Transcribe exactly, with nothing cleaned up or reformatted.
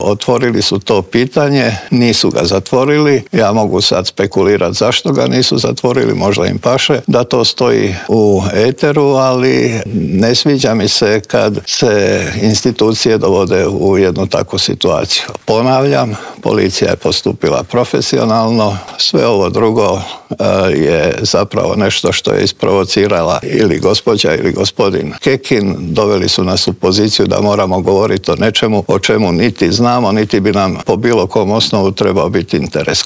Otvorili su to pitanje, nisu ga zatvorili. Ja mogu sad spekulirati zašto ga nisu zatvorili, možda im paše da to stoji u eteru, ali ne sviđa mi se kad se institucije dovode u jednu takvu situaciju. Ponavljam, policija je postupila profesionalno, sve ovo drugo je zapravo nešto što je isprovocirala ili gospođa ili gospodin Kekin. Doveli su nas u poziciju da moramo govoriti o nečemu o čemu niti znamo, niti bi nam po bilo kom osnovu trebao biti interes.